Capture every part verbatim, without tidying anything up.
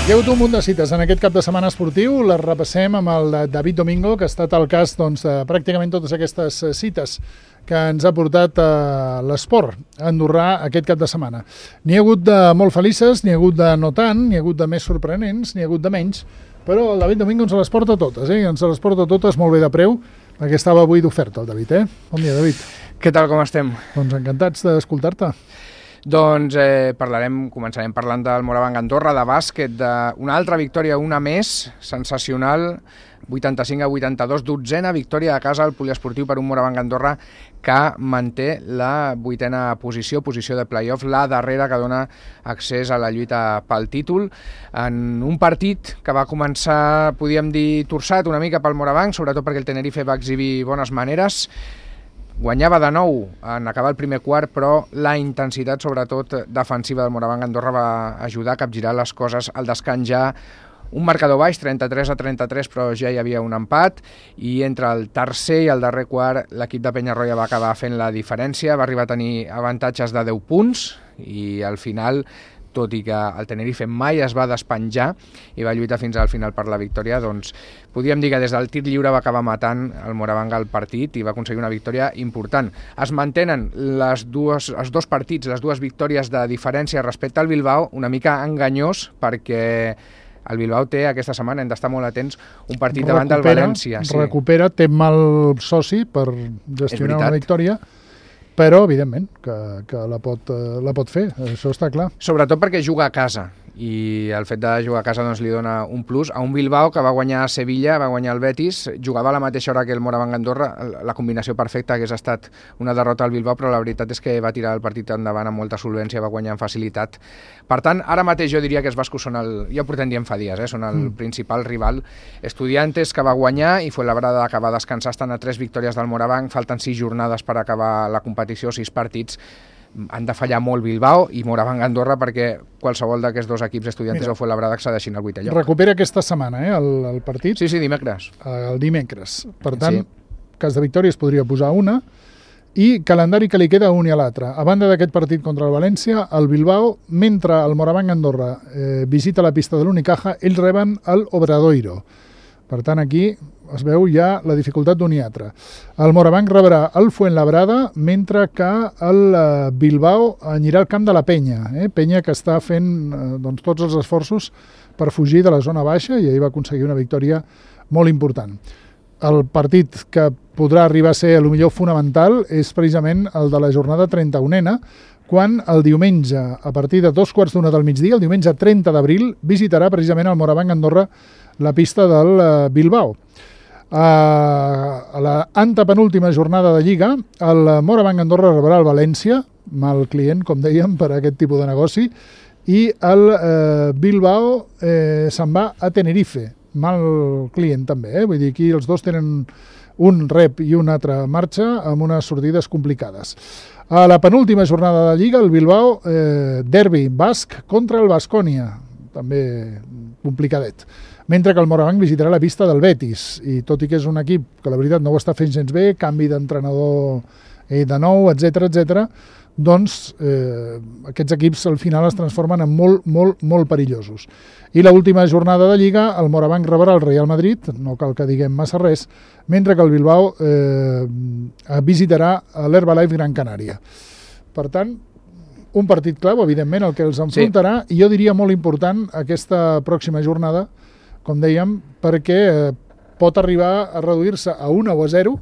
Hi ha hagut un munt de cites en aquest cap de setmana esportiu, les repassem amb el David Domingo, que ha estat al cas doncs, de pràcticament totes aquestes cites que ens ha portat a l'esport andorrà aquest cap de setmana. N'hi ha hagut de molt felices, n'hi ha hagut de no tant, n'hi ha hagut de més sorprenents, n'hi ha hagut de menys, però el David Domingo ens les porta totes, eh? ens les porta totes molt bé de preu, perquè estava avui d'oferta el David. Eh? Bon dia, David. Què tal, com estem? Doncs encantats d'escoltar-te. Doncs eh, parlarem, començarem parlant del Morabanc Andorra, de bàsquet, d'una altra victòria, una més, sensacional, vuitanta-cinc a vuitanta-dos, dotzena victòria a casa al poliesportiu per un Morabanc Andorra que manté la vuitena posició, posició de play-off, la darrera que dona accés a la lluita pel títol, en un partit que va començar, podíem dir, torçat una mica pel Morabanc, sobretot perquè el Tenerife va exhibir bones maneres. Guanyava de nou en acabar el primer quart, però la intensitat, sobretot defensiva del Morabanc Andorra, va ajudar a capgirar les coses al descans. Ja un marcador baix, trenta-tres a trenta-tres, però ja hi havia un empat, i entre el tercer i el darrer quart l'equip de Penyarroia va acabar fent la diferència, va arribar a tenir avantatges de deu punts, i al final, tot i que el Tenerife mai es va despenjar i va lluitar fins al final per la victòria, doncs podríem dir que des del tir lliure va acabar matant el Morabanc al partit i va aconseguir una victòria important. Es mantenen les dues, els dos partits, les dues victòries de diferència respecte al Bilbao, una mica enganyós perquè el Bilbao té aquesta setmana, hem d'estar molt atents, un partit recupera, davant del València. Sí. Recupera, té mal soci per gestionar una victòria, però, evidentment, que, que la, pot, la pot fer, això està clar. Sobretot perquè juga a casa, i el fet de jugar a casa doncs, li dona un plus a un Bilbao que va guanyar a Sevilla, va guanyar el Betis, jugava a la mateixa hora que el Morabanc Andorra, la combinació perfecta hagués estat una derrota al Bilbao, però la veritat és que va tirar el partit endavant amb molta solvència, va guanyar amb facilitat. Per tant, ara mateix jo diria que els bascos són el, ja ho portem dient fa dies, eh? són el mm. principal rival. Estudiantes, que va guanyar, i Fuenlabrada, que va descansar, estan a tres victòries del Morabanc, falten sis jornades per acabar la competició, sis partits. Han de fallar molt Bilbao i Morabanc Andorra perquè qualsevol d'aquests dos equips, Estudiantes Mira, o Fuenlabrada, accedeixin al vuitè lloc. Recupera aquesta setmana, eh, el, el partit. Sí, sí, dimecres. El dimecres. Per tant, sí. cas de victòria es podria posar una, i calendari que li queda un i a l'altre. A banda d'aquest partit contra el València, el Bilbao, mentre el Morabanc Andorra eh, visita la pista de l'Unicaja, ells reben el Obradoiro. Per tant, aquí es veu ja la dificultat d'un i altre. El Morabanc rebrà el Fuenlabrada, mentre que el Bilbao anirà al camp de la Penya. Eh? Penya que està fent eh, doncs, tots els esforços per fugir de la zona baixa, i ahir va aconseguir una victòria molt important. El partit que podrà arribar a ser el millor fonamental és precisament el de la jornada trenta-unena, quan el diumenge, a partir de dos quarts d'una del migdia, el diumenge trenta d'abril, visitarà precisament el Morabanc Andorra la pista del Bilbao. A la antepenúltima jornada de Lliga, el Morabanc Andorra rebrà el València, mal client, com dèiem, per a aquest tipus de negoci, i el eh, Bilbao eh, se'n va a Tenerife, mal client també, eh? Vull dir, aquí els dos tenen un rep i un altre marxa amb unes sortides complicades. A la penúltima jornada de Lliga, el Bilbao, eh, derbi basc contra el Baskonia, també complicadet. Mentre que el Morabanc visitarà la pista del Betis, i tot i que és un equip que la veritat no ho està fent gens bé, canvi d'entrenador eh, de nou, etcètera, etcètera, doncs eh, aquests equips al final es transformen en molt, molt, molt perillosos. I l'última jornada de Lliga, el Morabanc rebrà el Real Madrid, no cal que diguem massa res, mentre que el Bilbao eh, visitarà l'Herbalife Gran Canària. Per tant, un partit clau, evidentment, el que els enfrontarà, sí. I jo diria molt important aquesta pròxima jornada, com dèiem, perquè eh, pot arribar a reduir-se a una o a zero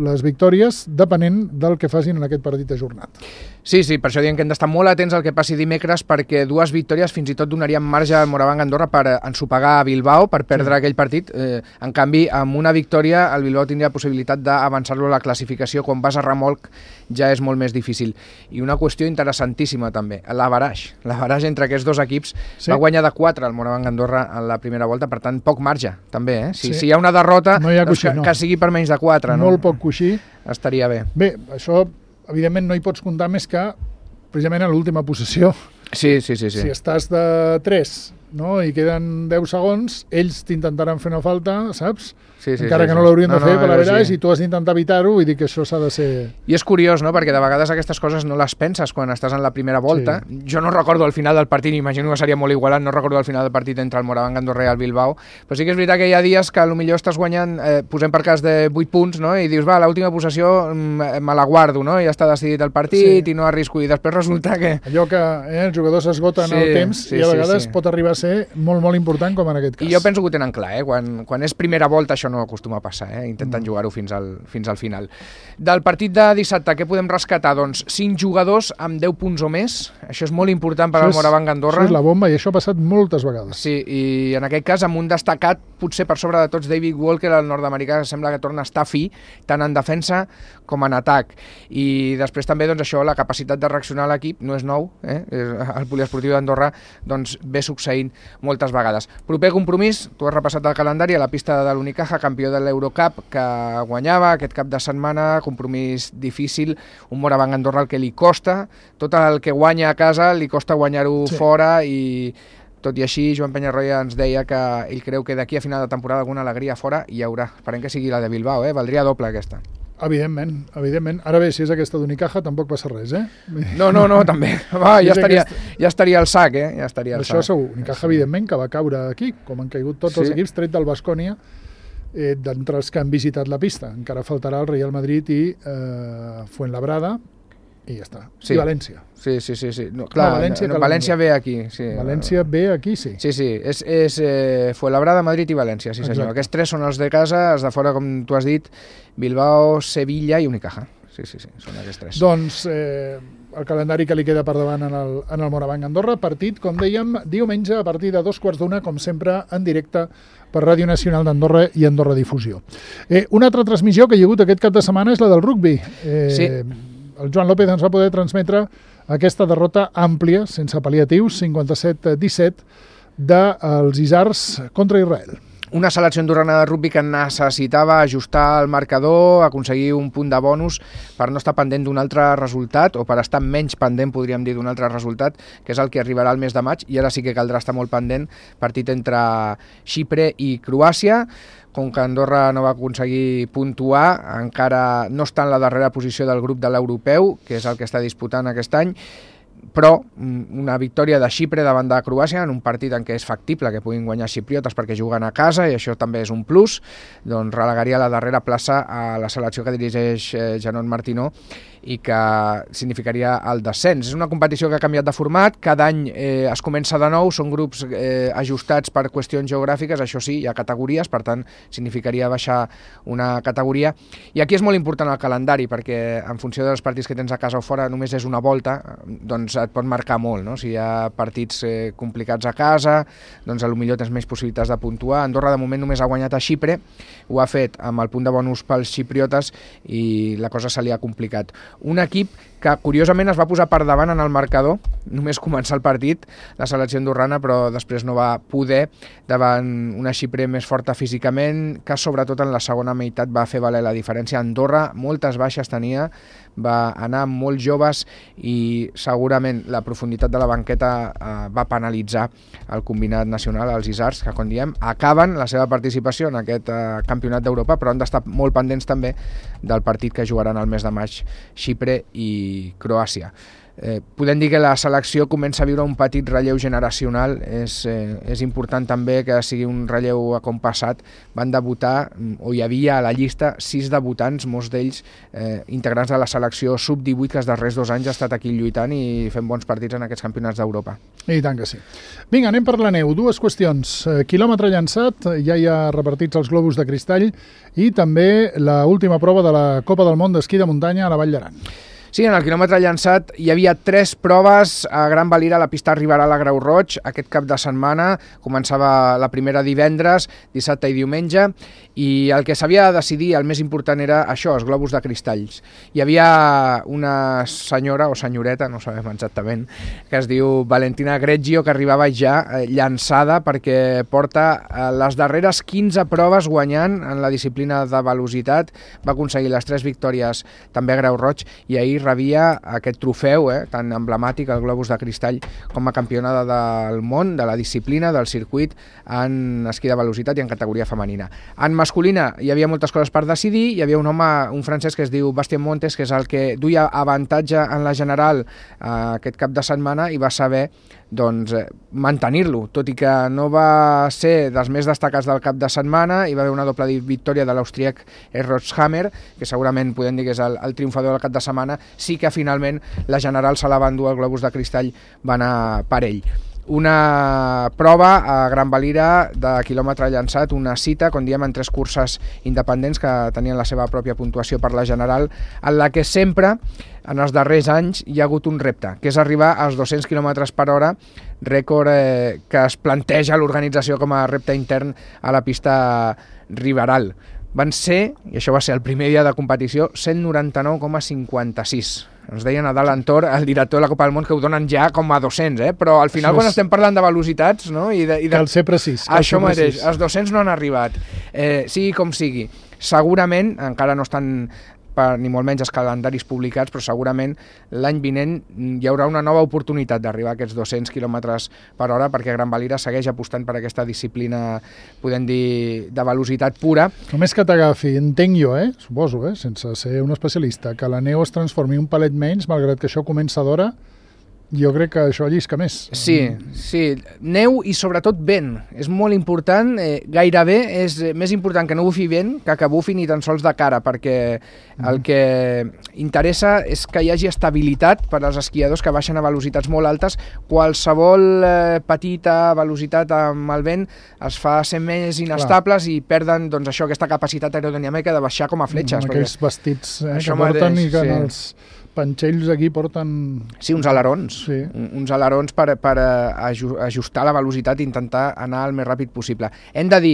les victòries, depenent del que facin en aquest partit ajornat. Sí, sí, per això diem que hem d'estar molt atents al que passi dimecres, perquè dues victòries fins i tot donarien marge al Morabanc Andorra per ensopegar a Bilbao, per perdre sí. aquell partit. Eh, en canvi, amb una victòria, el Bilbao tindria possibilitat d'avançar-lo a la classificació. Quan vas a remolc ja és molt més difícil. I una qüestió interessantíssima també, l'averaix. L'averaix entre aquests dos equips sí. va guanyar de quatre el Morabanc Andorra en la primera volta, per tant, poc marge, també. Eh? Si, sí. si hi ha una derrota, no hi ha doncs coixí, que, no. que sigui per menys de quatre. Molt no? poc coixí. Estaria bé. Bé, això evidentment no hi pots comptar més que precisament a l'última possessió. Sí, sí, sí, sí. Si estàs de tres no? I queden deu segons, ells t'intentaran fer una falta, saps? Sí, sí, encara sí, que sí. no l'haurien no, de fer no, per la veritat, sí. i tu has d'intentar evitar-ho, vull dir que això s'ha de ser... I és curiós, no?, perquè de vegades aquestes coses no les penses quan estàs en la primera volta. Sí. Jo no recordo el final del partit, imagino que seria molt igualat, no recordo el final del partit entre el Moraván Andorra i el Bilbao, però sí que és veritat que hi ha dies que potser estàs guanyant, eh, posem per cas de vuit punts, no?, i dius, va, l'última possessió me la guardo, no?, ja està decidit el partit sí. i no arrisco, i després resulta que... Allò que eh, els jugadors s'esgoten sí, el temps sí, i a vegades sí, sí. pot arribar a ser molt, molt important, com en aquest cas. I jo penso que ho tenen clar, eh? Quan, quan és primera volta això no acostuma a passar, eh? Intenten mm. jugar-ho fins al, fins al final. Del partit de dissabte, què podem rescatar? Doncs cinc jugadors amb deu punts o més, això és molt important per al Moraván Andorra. Això és la bomba i això ha passat moltes vegades. Sí, i en aquest cas amb un destacat, potser per sobre de tots, David Walker, el nord-americà, que sembla que torna a estar fi, tant en defensa com en atac. I després també, doncs això, la capacitat de reaccionar a l'equip no és nou, eh? El poliesportiu d'Andorra doncs, ve succeint moltes vegades. Proper compromís, tu has repassat el calendari a la pista de l'Unicaja, campió de l'Eurocup, que guanyava aquest cap de setmana, compromís difícil, un Moraván Andorra el que li costa, tot el que guanya a casa li costa guanyar-ho sí. fora, i tot i així Joan Penyarroia ens deia que ell creu que d'aquí a final de temporada alguna alegria fora hi haurà. Esperem que sigui la de Bilbao, eh? Valdria doble aquesta. Evidentment, evidentment. Ara bé, si és aquesta d'Unicaja tampoc passa res, eh? No, no, no, també. Va, ja, estaria, ja estaria al sac, eh? Ja estaria al Això sac. segur. Unicaja, sí. evidentment, que va caure aquí, com han caigut tots sí. els equips, tret del Baskonia, eh, d'entre els que han visitat la pista. Encara faltarà el Real Madrid i eh, Fuenlabrada, i ja està. Sí. I València. Sí, sí, sí. sí. No, clar, no, València, no, València ve aquí. Sí. València ve aquí, sí. Sí, sí. És, és eh, Fuenlabrada, Madrid i València, sí senyor. Exacte. Aquests tres són els de casa, els de fora, com tu has dit, Bilbao, Sevilla i Unicaja. Sí, sí, sí, són aquests tres. Doncs eh, el calendari que li queda per davant en el, en el Moraván Andorra, partit, com dèiem, diumenge a partir de dos quarts d'una, com sempre, en directe per Ràdio Nacional d'Andorra i Andorra Difusió. Eh, una altra transmissió que hi ha hagut aquest cap de setmana és la del rugbi. Eh, sí. El Joan López ens va poder transmetre aquesta derrota àmplia, sense pal·liatius, cinquanta-set a disset, dels Isars contra Israel. Una selecció andorrana de rugbi que necessitava ajustar el marcador, aconseguir un punt de bonus per no estar pendent d'un altre resultat, o per estar menys pendent, podríem dir, d'un altre resultat, que és el que arribarà al mes de maig, i ara sí que caldrà estar molt pendent, partit entre Xipre i Croàcia. Com que Andorra no va aconseguir puntuar, encara no està en la darrera posició del grup de l'europeu, que és el que està disputant aquest any, però una victòria de Xipre davant de Croàcia en un partit en què és factible que puguin guanyar xipriotes perquè juguen a casa, i això també és un plus, doncs relegaria la darrera plaça a la selecció que dirigeix Janot Martino i que significaria el descens. És una competició que ha canviat de format, cada any eh, es comença de nou, són grups eh, ajustats per qüestions geogràfiques, això sí, hi ha categories, per tant significaria baixar una categoria, i aquí és molt important el calendari, perquè en funció dels partits que tens a casa o fora només és una volta, doncs et pot marcar molt, no? Si hi ha partits eh, complicats a casa, doncs potser tens més possibilitats de puntuar. Andorra de moment només ha guanyat a Xipre, ho ha fet amb el punt de bonus pels xipriotes i la cosa se li ha complicat. Un equip que curiosament es va posar per davant en el marcador, només començar el partit, la selecció andorrana, però després no va poder davant una Xipre més forta físicament, que sobretot en la segona meitat va fer valer la diferència. Andorra moltes baixes tenia, va anar amb molts joves i segurament la profunditat de la banqueta eh, va penalitzar el combinat nacional, els Isars, que com diem acaben la seva participació en aquest eh, campionat d'Europa, però han d'estar molt pendents també del partit que jugaran el mes de maig Xipre i Croàcia. Eh, podem dir que la selecció comença a viure un petit relleu generacional, és, eh, és important també que sigui un relleu a com passat. Van debutar, o hi havia a la llista, sis debutants, molts d'ells eh, integrants de la selecció sub divuit, que els darrers dos anys ha estat aquí lluitant i fent bons partits en aquests campionats d'Europa. I tant que sí. Vinga, anem per la neu. Dues qüestions. Eh, quilòmetre llançat, ja hi ha repartits els globus de cristall, i també l'última prova de la Copa del Món d'esquí de muntanya a la Vall d'Aran. Sí, en el quilòmetre llançat hi havia tres proves a Gran Valira, a la pista Riberal a Grau Roig. Aquest cap de setmana començava la primera divendres, dissabte i diumenge, i el que s'havia de decidir, el més important, era això, els globus de cristalls. Hi havia una senyora o senyoreta, no sabem exactament, que es diu Valentina Greggio, que arribava ja llançada perquè porta les darreres quinze proves guanyant en la disciplina de velocitat. Va aconseguir les tres victòries també a Grau Roig, i ahir ahir rebia aquest trofeu eh, tan emblemàtic, el Globus de Cristall, com a campionada del món, de la disciplina, del circuit, en esquí de velocitat i en categoria femenina. En masculina hi havia moltes coses per decidir, hi havia un home, un francès que es diu Bastien Montes, que és el que duia avantatge en la general eh, aquest cap de setmana i va saber doncs, eh, mantenir-lo, tot i que no va ser dels més destacats del cap de setmana. Hi va haver una doble victòria de l'austríac Rotshammer, que segurament podem dir que és el, el triomfador del cap de setmana. Sí que finalment la general se la va endur el Globus de Cristall, va anar per ell. Una prova a Gran Valira de quilòmetre llançat, una cita, com diem, en tres curses independents que tenien la seva pròpia puntuació per la general, en la que sempre, en els darrers anys, hi ha hagut un repte, que és arribar als dos-cents quilòmetres per hora, rècord eh, que es planteja l'organització com a repte intern a la pista Riberal. Van ser, i això va ser el primer dia de competició, cent noranta-nou coma cinquanta-sis. Ens deien a dalt Antor, el director de la Copa del Món, que ho donen ja com a dos-cents, eh? Però al final, quan estem parlant de velocitats, no? I de, i de... Cal ser precís. Cal això ser mateix, precís. els dos-cents no han arribat. Eh, sigui com sigui, segurament, encara no estan per, ni molt menys els calendaris publicats, però segurament l'any vinent hi haurà una nova oportunitat d'arribar a aquests dos-cents quilòmetres per hora, perquè Gran Valira segueix apostant per aquesta disciplina, podem dir, de velocitat pura. Només que t'agafi, entenc jo, eh? suposo, eh? sense ser un especialista, que la neu es transformi un palet menys, malgrat que això comença d'hora, jo crec que això llisca més. Sí, sí, neu i sobretot vent, és molt important, eh, gairebé és més important que no bufi vent que que bufi ni tan sols de cara, perquè el que interessa és que hi hagi estabilitat per als esquiadors que baixen a velocitats molt altes. Qualsevol eh, petita velocitat amb el vent es fa ser més inestables. Clar. I perden doncs, això, aquesta capacitat aerodinàmica de baixar com a fletxes. Amb aquells vestits eh, que mateix, porten i que sí. en els panxells aquí porten... Sí, uns alerons, sí. uns alerons per, per ajustar la velocitat i intentar anar el més ràpid possible. Hem de dir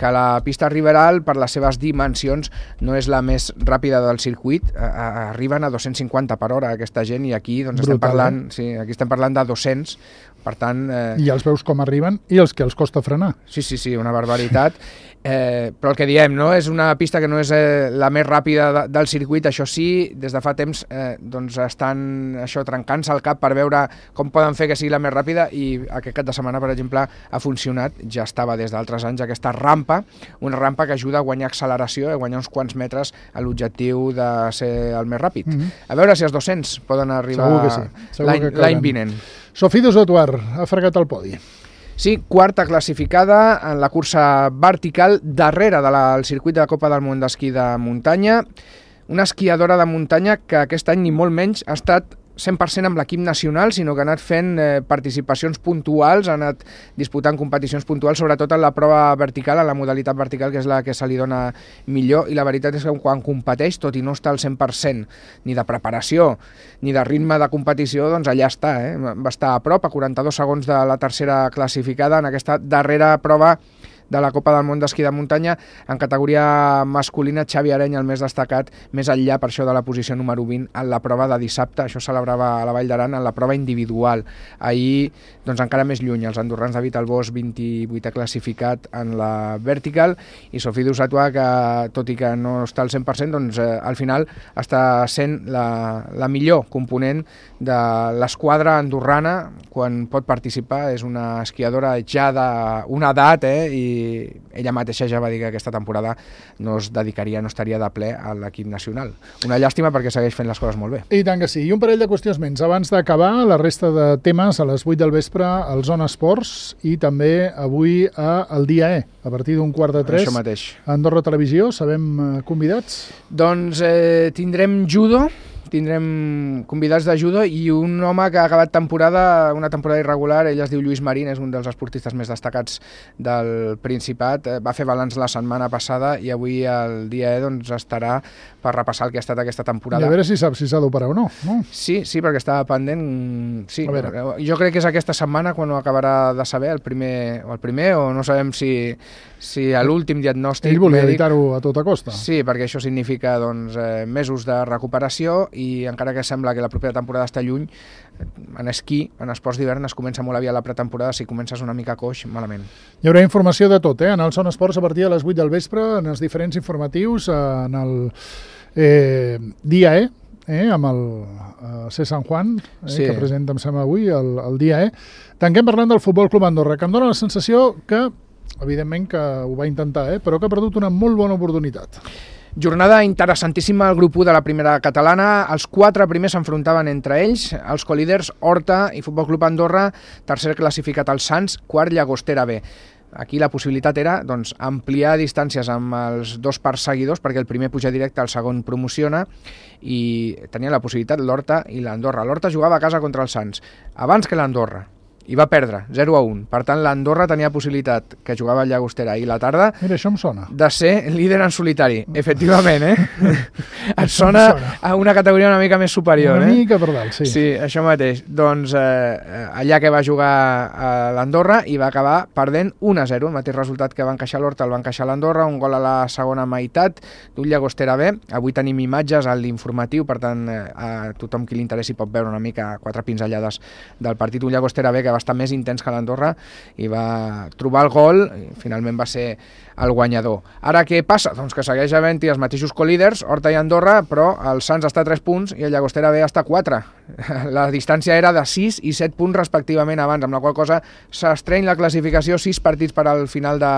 que la pista Riberal, per les seves dimensions, no és la més ràpida del circuit, arriben a dos-cents cinquanta per hora aquesta gent, i aquí doncs, estem, Brutal, parlant, eh? sí, aquí estem parlant de dos-cents, per tant... Eh... I els veus com arriben i els que els costa frenar. Sí, sí, sí, una barbaritat. Eh, però el que diem, no? És una pista que no és eh, la més ràpida de, del circuit, això sí, des de fa temps eh, doncs estan això trencant-se el cap per veure com poden fer que sigui la més ràpida, i aquest cap de setmana, per exemple, ha funcionat, ja estava des d'altres anys, aquesta rampa, una rampa que ajuda a guanyar acceleració, a guanyar uns quants metres a l'objectiu de ser el més ràpid. Mm-hmm. A veure si els dos-cents poden arribar sí. l'any vinent. Sophie Desotuar ha fregat el podi. Sí, quarta classificada en la cursa vertical, darrere del circuit de la Copa del Món d'esquí de muntanya. Una esquiadora de muntanya que aquest any ni molt menys ha estat cent per cent amb l'equip nacional, sinó que ha anat fent eh, participacions puntuals, ha anat disputant competicions puntuals, sobretot en la prova vertical, en la modalitat vertical, que és la que se li dona millor, i la veritat és que quan competeix, tot i no està al cent per cent ni de preparació ni de ritme de competició, doncs allà està, eh? Va estar a prop, a quaranta-dos segons de la tercera classificada en aquesta darrera prova de la Copa del Món d'esquí de muntanya. En categoria masculina, Xavi Areny, el més destacat, més enllà per això de la posició número vint en la prova de dissabte. Això celebrava a la Vall d'Aran en la prova individual. Ahir, doncs encara més lluny, els andorrans David Albós, vint-i-vuitè classificat en la vertical, i Sophie Desotuar, que tot i que no està al cent per cent, doncs eh, al final està sent la, la millor component de l'esquadra andorrana quan pot participar. És una esquiadora ja d'una edat, eh, i ella mateixa ja va dir que aquesta temporada no es dedicaria, no estaria de ple a l'equip nacional. Una llàstima, perquè segueix fent les coses molt bé. I tant que sí. I un parell de qüestions menys. Abans d'acabar, la resta de temes a les vuit del vespre al Zona Esports, i també avui a El Dia E, a partir d'un quart de tres. Això mateix. A Andorra Televisió. Sabem convidats? Doncs eh, tindrem judo, tindrem convidats de judo i un home que ha acabat temporada, una temporada irregular. Ell es diu Lluís Marín, és un dels esportistes més destacats del Principat. Va fer balanç la setmana passada i avui el Dia E doncs, estarà per repassar el que ha estat aquesta temporada. I a veure si saps si s'ha d'operar o no, no? Sí, sí, perquè estava pendent. Sí, jo crec que és aquesta setmana quan ho acabarà de saber, el primer o el primer, o no sabem si, si a l'últim diagnòstic... Ell volia evitar-ho a tota costa. Sí, perquè això significa doncs, eh, mesos de recuperació, i encara que sembla que la propera temporada està lluny, en esquí, en esports d'hivern, es comença molt aviat la pretemporada. Si comences una mica coix, malament. Hi haurà informació de tot, eh? En el Zona Esports a partir de les vuit del vespre, en els diferents informatius, en el eh, Dia E, eh, amb el uh, C. San Juan, eh, sí. que presenta, em sembla, avui, el, el dia E. Tanquem parlant del Futbol Club Andorra, que em dóna la sensació que, evidentment que ho va intentar, eh, però que ha perdut una molt bona oportunitat. Jornada interessantíssima al grup u de la primera catalana. Els quatre primers s'enfrontaven entre ells, els colíders Horta i Futbol Club Andorra, tercer classificat el Sants, quart Llagostera B. Aquí la possibilitat era doncs, ampliar distàncies amb els dos perseguidors, perquè el primer puja directe, el segon promociona, i tenia la possibilitat l'Horta i l'Andorra. L'Horta jugava a casa contra el Sants, abans que l'Andorra, i va perdre, zero a un. Per tant, l'Andorra tenia possibilitat, que jugava a Llagostera ahir la tarda, Mira, això em sona. de ser líder en solitari. Efectivament, eh? Et sona a una categoria una mica més superior, una eh? Una mica per dalt, sí. Sí, això mateix. Doncs eh, allà que va jugar a l'Andorra i va acabar perdent un a zero, el mateix resultat que va encaixar l'Horta, el va encaixar l'Andorra, un gol a la segona meitat d'un Llagostera B. Avui tenim imatges a l'informatiu, per tant, eh, a tothom qui li interessi pot veure una mica quatre pinzellades del partit. Un Llagostera B que va estar més intens que l'Andorra i va trobar el gol i finalment va ser el guanyador. Ara què passa? Doncs que segueix havent-hi els mateixos colíders, Horta i Andorra, però el Sants està a tres punts i el Llagostera B està a quatre. La distància era de sis i set punts respectivament abans, amb la qual cosa s'estreny la classificació, sis partits per al final de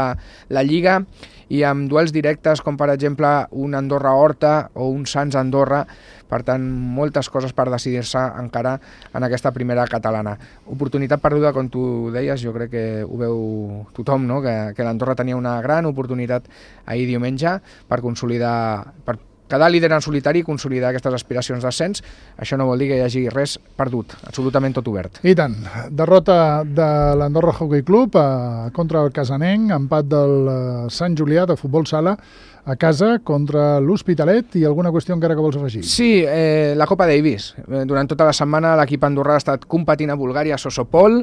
la Lliga i amb duels directes com per exemple un Andorra-Horta o un Sants-Andorra. Per tant, moltes coses per decidir-se encara en aquesta primera catalana. Oportunitat perduda, com tu deies, jo crec que ho veu tothom, no? que, que l'Andorra tenia una gran oportunitat ahir diumenge per consolidar, per quedar líder en solitari i consolidar aquestes aspiracions d'ascens. Això no vol dir que hi hagi res perdut, absolutament tot obert. I tant. Derrota de l'Andorra Hockey Club eh, contra el Casanenc, empat del eh, Sant Julià de futbol sala a casa contra l'Hospitalet i alguna qüestió encara que vols afegir? Sí, eh, la Copa Davis. Durant tota la setmana l'equip andorrà ha estat competint a Bulgària, a Sosopol.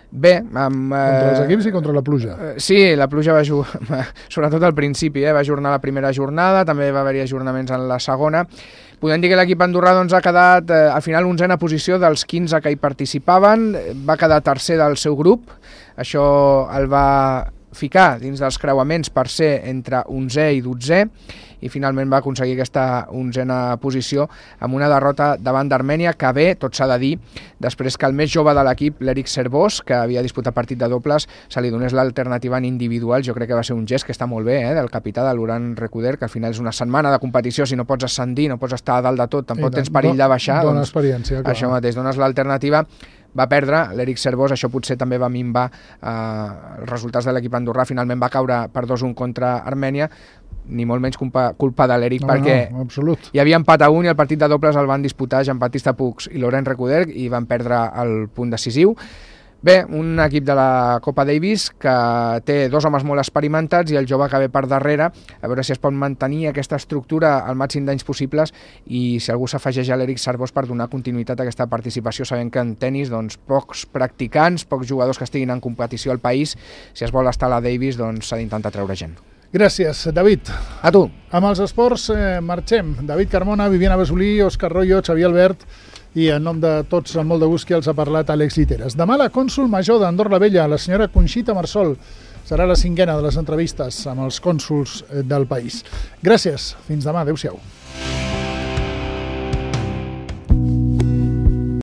Bé, amb... Eh, contra els equips i contra la pluja. Eh, sí, la pluja va jugar, sobretot al principi, eh, va ajornar la primera jornada, també va haver-hi ajornaments en la segona. Podem dir que l'equip andorrà doncs, ha quedat eh, al final onzena posició dels quinze que hi participaven, va quedar tercer del seu grup, això el va ficar dins dels creuaments per ser entre onzè i dotzè i finalment va aconseguir aquesta onzena posició amb una derrota davant d'Armènia que ve, tot s'ha de dir, després que el més jove de l'equip, l'Eric Servós, que havia disputat partit de dobles, se li donés l'alternativa en individual. Jo crec que va ser un gest que està molt bé, eh, del capità de l'Uran Recuder, que al final és una setmana de competició, si no pots ascendir, no pots estar a dalt de tot, tampoc tens perill de baixar. Dona doncs, experiència, clar. Això mateix, dones l'alternativa. Va perdre l'Eric Servós, això potser també va minvar eh, els resultats de l'equip andorrà, finalment va caure per dos a un contra Armènia, ni molt menys culpa, culpa de l'Eric, no, perquè no, absolut. hi havia empat a un i el partit de dobles el van disputar Jean-Baptiste Puig i Laurent Recuder i van perdre el punt decisiu. Bé, un equip de la Copa Davis que té dos homes molt experimentats i el jove que ve per darrere, a veure si es pot mantenir aquesta estructura al màxim d'anys possibles i si algú s'afegeix a l'Eric Servós per donar continuïtat a aquesta participació, sabent que en tennis doncs, pocs practicants, pocs jugadors que estiguin en competició al país, si es vol estar a la Davis doncs s'ha d'intentar treure gent. Gràcies, David. A tu. Amb els esports eh, marxem. David Carmona, Viviana Besolí, Òscar Royo, Xavier Albert i en nom de tots, amb molt de gust, qui els ha parlat, Àlex Lliteres. Demà la cònsol major d'Andorra la Vella, la senyora Conxita Marsol, serà la cinquena de les entrevistes amb els cònsols del país. Gràcies. Fins demà. Adéu-siau.